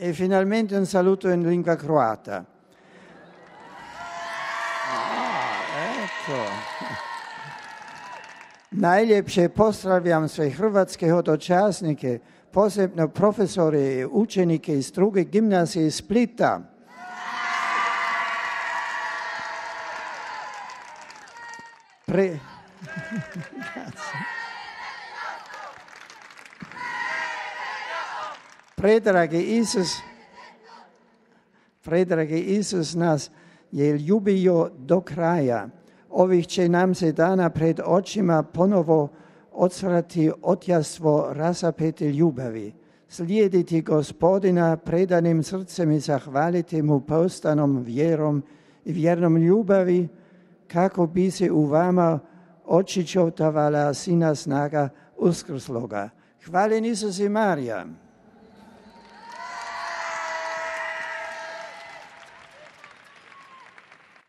E finalmente un saluto in lingua croata. Ecco. Najljepše pozdravljam sve hrvatske hodočasnike, posebno profesore i učenike iz druge gimnazije iz Splita. Predragi Isus nas je ljubio do kraja. Ovih će nam se dana pred očima ponovo odsvrati otjastvo rasapete ljubavi. Slijediti Gospodina predanim srcem i zahvaliti mu poustanom vjerom i vjernom ljubavi, kako bi se u vama očičotavala sina snaga uskrsloga. Hvaljen Isus i Marija.